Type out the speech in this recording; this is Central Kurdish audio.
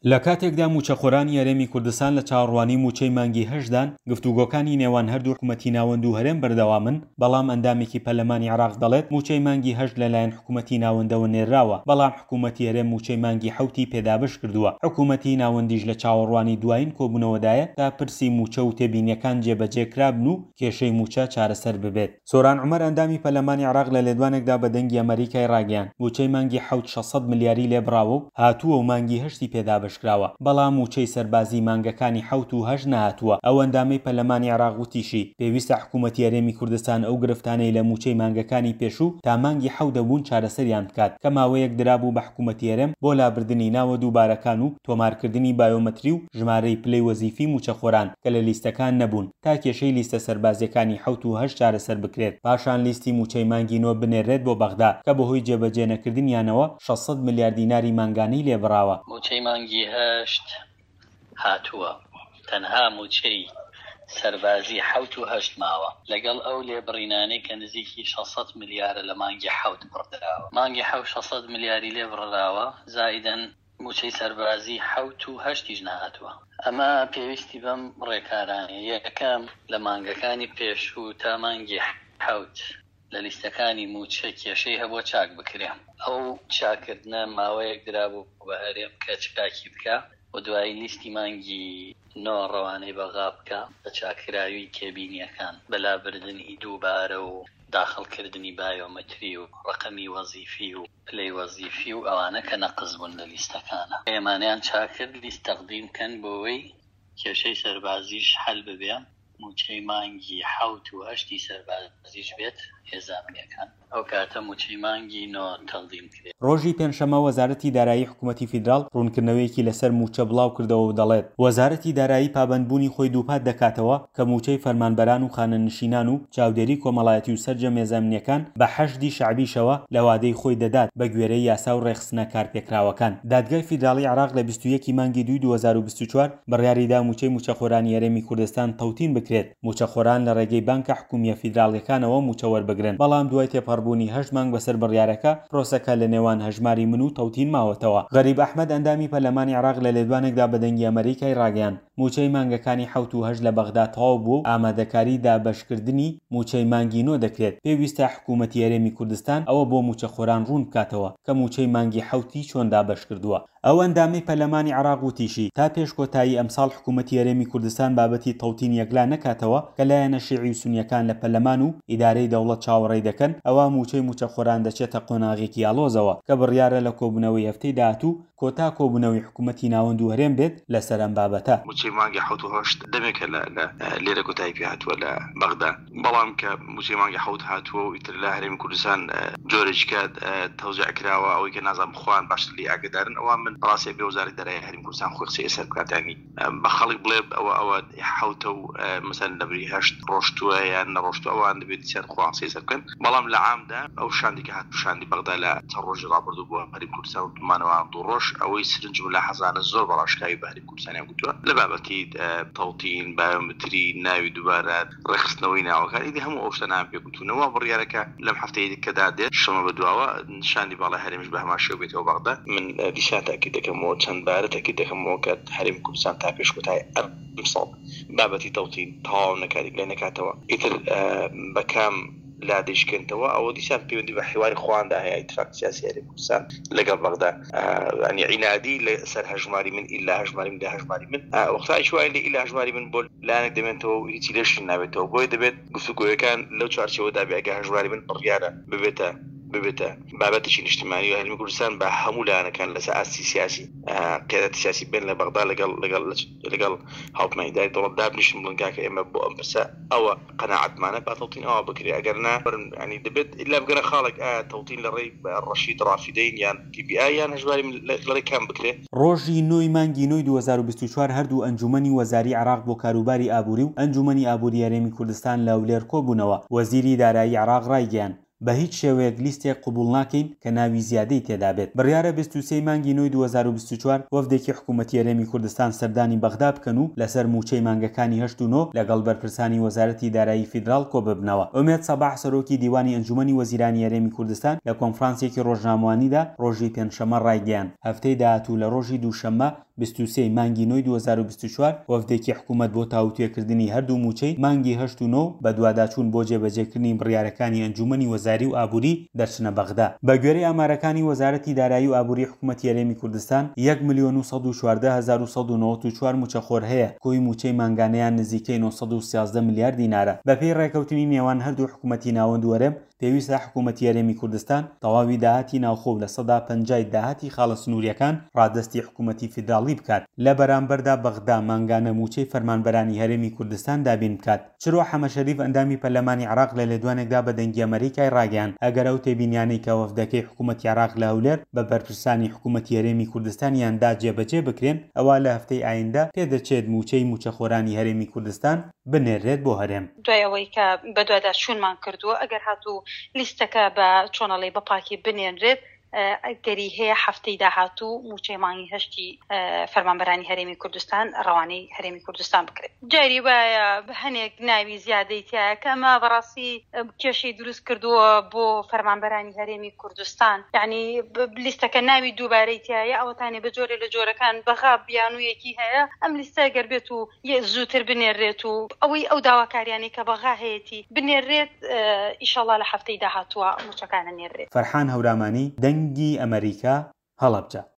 لە کاتێکدا مووچەخۆرانی هەرێمی کوردستان لە چاوەڕوانی مووچەی مانگی هەشتدان، گفتوگۆکانی نێوان هەردوو حکومەتی ناوەند و هەرێم بەردەوامن، بەڵام ئەندامێکی پەرلەمانی عێراق دەڵێت، مووچەی مانگی هەشت لەلایەن حکومەتی ناوەندەوە نێرراوە، بەڵام حکومەتی هەرێم مووچەی مانگی حەوتی پێ دابەشکردووە، حکومەتی ناوەندیش لە چاوەڕوانی دوایین کۆبوونەوەدایە تا پرسی مووچە و تێبینییەکان جێبەجێکرابن و کێشەی مووچە چارەسەر ببێت. سۆران عومەر ئەندامی پەرلەمانی عێراق لە لێدوانێکدا بە دەنگی ئەمەریکای ڕاگەیاند، مووچەی مانگی حەوت 600 ملیاری لێ بڕاوە و هاتووە و مانگی هەشتی پێ دابەشکراوە، بەڵام مووچەی سەربازی مانگەکانی حەوت و هەشت نەهاتووە. ئەو ئەندامەی پەرلەمانی عێراق وتیشی، پێویستە حکوومەتی هەرێمی کوردستان ئەو گرفتانەی لە مووچەی مانگەکانی پێشوو تا مانگی حەوت هەبوون چارەسەریان بکات کە ماوەیەک درابوو بە حکوومەتی هەرێم بۆ لابردنی ناوە دووبارەکان و تۆمارکردنی بایۆمەتری و ژمارەی پلەی وەزیفی مووچەخۆران کە لە لیستەکان نەبوون. تا کێشەی لیستە سەربازییەکانی حەوت و هەشت چارەسەر بکرێت، پاشان لیستی مووچەی مانگی نۆ بنێررێت بۆ بەغدا، کە بەهۆی جێبەجێنەکردنیانەوە 600 ملیار دیناری مانگانەی لێ بڕاوە. مووچەی مانگی هەشت هاتووە، تەنها مووچەی سەربازی حەوت و هەشت ماوە، لەگەڵ ئەو لێبڕینانەی کە نزیکی 600 ملیارە لە مانگی حەوت بڕدراوە. مانگی حەوت 600 ملیاری لێ بڕراوە، زائیدەن مووچەی سەربازی حەوت و هەشتیش نەهاتووە. ئەمە پێویستی بەم ڕێکارانەیە، یەکەم، لە مانگەکانی پێشوو تا مانگی حەوت لە لیستەکانی مووچە کێشەی هەبووە چاک بکرێ. ئەو چاککردنە ماوەیەک درابوو بە هەرێم کە چاکی بکا و دوایی لیستی مانگی نۆ ڕەوانەی بەغا بکا بە چاککراوی تێبینییەکان، بە لابردنی دووبارە و داخڵکردنی بایۆمەتری و ڕەقەمی وەزیفی و پلەی وەزیفی و ئەوانە کە نەقس بوون لە لیستەکانا ئێمانەیان چاک کرد لیست تەقدیم کەن بۆوەی کێشەی سەربازیش حەل ببێ موچەی مانگی حەوت و هەشتی سەربازیش بێت هێزە ئەمنیەکان ئەو کاتە موچەی مانگی نۆ تەقدیم کرێ. ڕۆژی پێنجشەممە وەزارەتی دارایی حکومەتی فیدراڵ ڕوونکردنەوەیەکی لەسەر مووچە بڵاوکردەوە و دەڵێت، وەزارەتی دارایی پابەندبوونی خۆی دووپات دەکاتەوە کە مووچەی فەرمانبەران و خانەنشینان و چاودێری کۆمەڵایەتی و سەرجەم هێزە ئەمنییەکان بە حەشدی شەعبیشەوە لە وادەی خۆی دەدات بە گوێرەی یاسا و ڕێکخستنە کارپێکراوەکان. دادگای فیدراڵی عێراق لە 21 ی مانگی دووی 2024 بڕیاریدا مووچەی مووچەخۆرانی هەرێمی کوردستان تەوتین بکرێت، مووچەخۆران لە ڕێگەی بانکە حکومییە فیدراڵییەکانەوە مووچە وەربگرن، بەڵام دوای تێپەڕبوونی هەشت مانگ بەسەر بڕیارەکە، پرۆسەکە لە نێوان هەژماری من و تەوتین ماوەتەوە. غەریب ئەحمەد ئەندامی پەرلەمانی عێراق لە لێدوانێکدا بە دەنگی ئەمەریکای ڕاگەیاند، مووچەی مانگەکانی حەوت و هەشت لە بەغدا تەواو بووە و ئامادەکاری دابەشکردنی مووچەی مانگی نۆ دەکرێت، پێویستە حکوومەتی هەرێمی کوردستان ئەوە بۆ مووچەخۆران ڕوون بکاتەوە کە مووچەی مانگی حەوتی چۆن دابەشکردووە. ئەو ئەندامەی پەرلەمانی عێراق وتیشی، تا پێش کۆتایی ئەمساڵ حکوومەتی هەرێمی کوردستان بابەتی تەوتین یەکلا نەکاتەوە کە لایەنە شیعی و سونییەکان لە پەرلەمان و ئیدارەی دەوڵەت چاوەڕێی دەکەن، ئەوا مووچەی مووچەخۆران دەچێتە قۆناغێکی ئاڵۆزەوە کە بڕیارە لە کۆبوونەوەی هەفتەی داهاتوو کۆتا کۆبوونەوەی حکوومەتی ناوەند و هەرێم بێت لەسەر ئەم بابەتە. مووچەی مانگی حەوت و هەشت دەمێکە لە لە لێرە کۆتایی پێ هاتووە لە بەغدا، بەڵام کە مووچەی مانگی حەوت هاتووە و ئیتر لە هەرێمی کوردستان جۆرێکی کە تەوزیع کراوە ئەوەی کە نازانم خۆیان باشتر لێی ئاگەدارن ئەوە من بەڕاستی ئەبێ وەزارەتی دارایی هەرێمی کوردستان خۆی قسەی لەسەر بکات یانی بە خەڵک بڵێ ئەوە ئەوە حەوتە و مەسەلەن لەبری هەشت ڕۆشتووە یان نەڕۆشتووە ئەوان دەبێت دیسان خۆیان قسەی لەسەر بکەن بەڵام لە عامدا ئەو شاندی کە هات شاندی بەغدا لە چەند ڕۆژی ڕابردوو بۆ هەرێمی کوردستان و مانەوە دوو ڕۆژ ئەوەی سرنج مولاحەزانە زۆر بە ڕاشکاوی بە هەرێمی کوردستانیان گوتووە لە بابەتی تەوتین، بایۆمتری، ناوی دووبارە، ڕێکخستنەوەی ناوەکان، ئیدی هەموو ئەو شتانەیان پێ گوتوونە. وا بڕیارە کە لەم هەفتەیەی کە دادێت شەمە بە دواوە شاندی باڵای هەرێمیش بە هەمان شێوە بێتەوە بەغدا. من دیسان تەئکید دەکەمەوە، چەند بارە تەئکید دەکەمەوە کە هەرێمی کوردستان تا پێش کۆتایی ئەمساڵ بابەتی تەوتین تەواو نەکات، یەکلای نەکاتەوە، ئیتر بە کام لا دەیشکێنتەوە ئەوە دیسان پەیوەندی بە حیواری خۆیاندا هەیە، ئیتفاقی سیاسی هەرێمی کوردستان لەگەڵ بەغدا. یانی عینادی لە سەر هەژماری من ئیلا هەژماری من لە هەژماری من وەختایش وای لێ ئیلا هەژماری من بۆ لایەنێک دەمێنێتەوە و هیچی لێش نابێتەوە بۆیە دەبێت گفتوگۆیەکان لەو چوارچێوەدا بێ ئەگەر هەژماری من بڕیارە ببێتە ببێتە بابەتێکی نیشتیمانی و هەرێمی کوردستان بە هەموو لایەنەکان لەسەر ئاستی سیاسی قیادەتی سیاسی بێن لە بەغدا لەگەڵ لەگەڵ لەگەڵ هاوپەیمانی ئیداری دەوڵەت دابنیشن بڵێن کاکە ئێمە بۆ ئەم پرسە ئەوە قەناعەتمانە با تەوتین ئاوا بکرێ ئەگەر نا یانی دەبێت ئیلا بگەنە خاڵێک ئایا تەوتین لە ڕێی ڕەشید ڕافیدەین یان پی بی ئای یان هەژماری من لە ڕێی کام بکرێ؟ ڕۆژی نۆ ی مانگی نۆی 2024 هەردوو ئەنجوومەنی وەزاری عێراق بۆ کاروباری ئابووری و ئەنجوومەنی ئابووری هەرێمی کوردستان لە هەولێر کۆبوونەوە، وەزیری دارایی عێراق ڕایگەیاند، بە هیچ شێوەیەک لیستێک قبوڵ ناکەین کە ناوی زیادەی تێدابێت. بڕیارە 23 ی مانگی نۆی 2024 وەفدێکی حکومەتی هەرێمی کوردستان سەردانی بەغدا بکەن و لەسەر مووچەی مانگەکانی هەشت و نۆ لەگەڵ بەرپرسانی وەزارەتی دارایی فیدراڵ کۆببنەوە. ئومێد سەباح سەرۆکی دیوانی ئەنجومەنی وەزیرانی هەرێمی کوردستان لە کۆنفرانسێکی ڕۆژنامەوانیدا ڕۆژی پێنجشەممە ڕایگەیاند، هەفتەی داهاتوو لە ڕۆژی دووشەممە 23 ی مانگی نۆی 2024 وەفدێکی حکومەت بۆ تاوتوێکردنی هەردوو مووچەی مانگی هەشت و نۆ و بەدواداچوون بۆ جێبەجێکردنی بڕیارەکانی ئەنجوومەنی وەزاری و ئابووری دەچنە بەغدا. بەگوێرەی ئامارەکانی وەزارەتی دارایی و ئابووری حکومەتی هەرێمی کوردستان، یەک ملیۆن و 114194 مووچەخۆر هەیە، کۆی مووچەی مانگانەیان نزیکەی 913 ملیار دینارە. بەپێی ڕێکەوتنی نێوان هەردوو حکومەتی ناوەند و هەرێم، پێویستە حکوومەتی هەرێمی کوردستان تەواوی داهاتی ناوخۆ و 50% ی داهاتی خاڵە سنوورییەکان ڕادەستی حکوومەتی فیدراڵی بکات، لە بەرامبەردا بەغدا مانگانە مووچەی فەرمانبەرانی هەرێمی کوردستان دابین بکات. چرۆ حەمەشەریف ئەندامی پەرلەمانی عێراق لە لێدوانێکدا بە دەنگی ئەمەریکای ڕاگەیاند، ئەگەر ئەو تێبینیانەی کە وەفدەکەی حکوومەتی عێراق لە هەولێر بە بەرپرسانی حکوومەتی هەرێمی کوردستانیان دا جێبەجێ بکرێن، ئەوا لە هەفتەی ئایندە پێدەچێت مووچەی مووچەخۆرانی هەرێمی کوردستان بنێررێت بۆ هەرێم. دوای ئەوەی کە بەدواداچوونمان کردووە، ئەگەر هاتوو لیستەکە بە چۆنەڵی بە پاکی بنێنرێت، ئەگەری هەیە هەفتەی داهاتوو مووچەی مانگی هەشتی فەرمانبەرانی هەرێمی کوردستان ڕەوانەی هەرێمی کوردستان بکرێت. جاری وایە هەنێک ناوی زیادەی تیایە کە ئەمە بەڕاستی کێشەی دروست کردووە بۆ فەرمانبەرانی هەرێمی کوردستان، یانی لیستەکە ناوی دووبارەی تیایە، ئەوەتانێ بە جۆرێ لە جۆرەکان بەغا بیانوویەکی هەیە، ئەم لیستە گەر بێت و زووتر بنێررێت و ئەوەی ئەو داواکاریانەی کە بەغا هەیەتی بنێررێت ئیشەڵا لە هەفتەی داهاتووە مووچەکان ئەنێررێت. فەرحان هەورامانی، دەنگی ئەمەریکا، هەڵەبجە.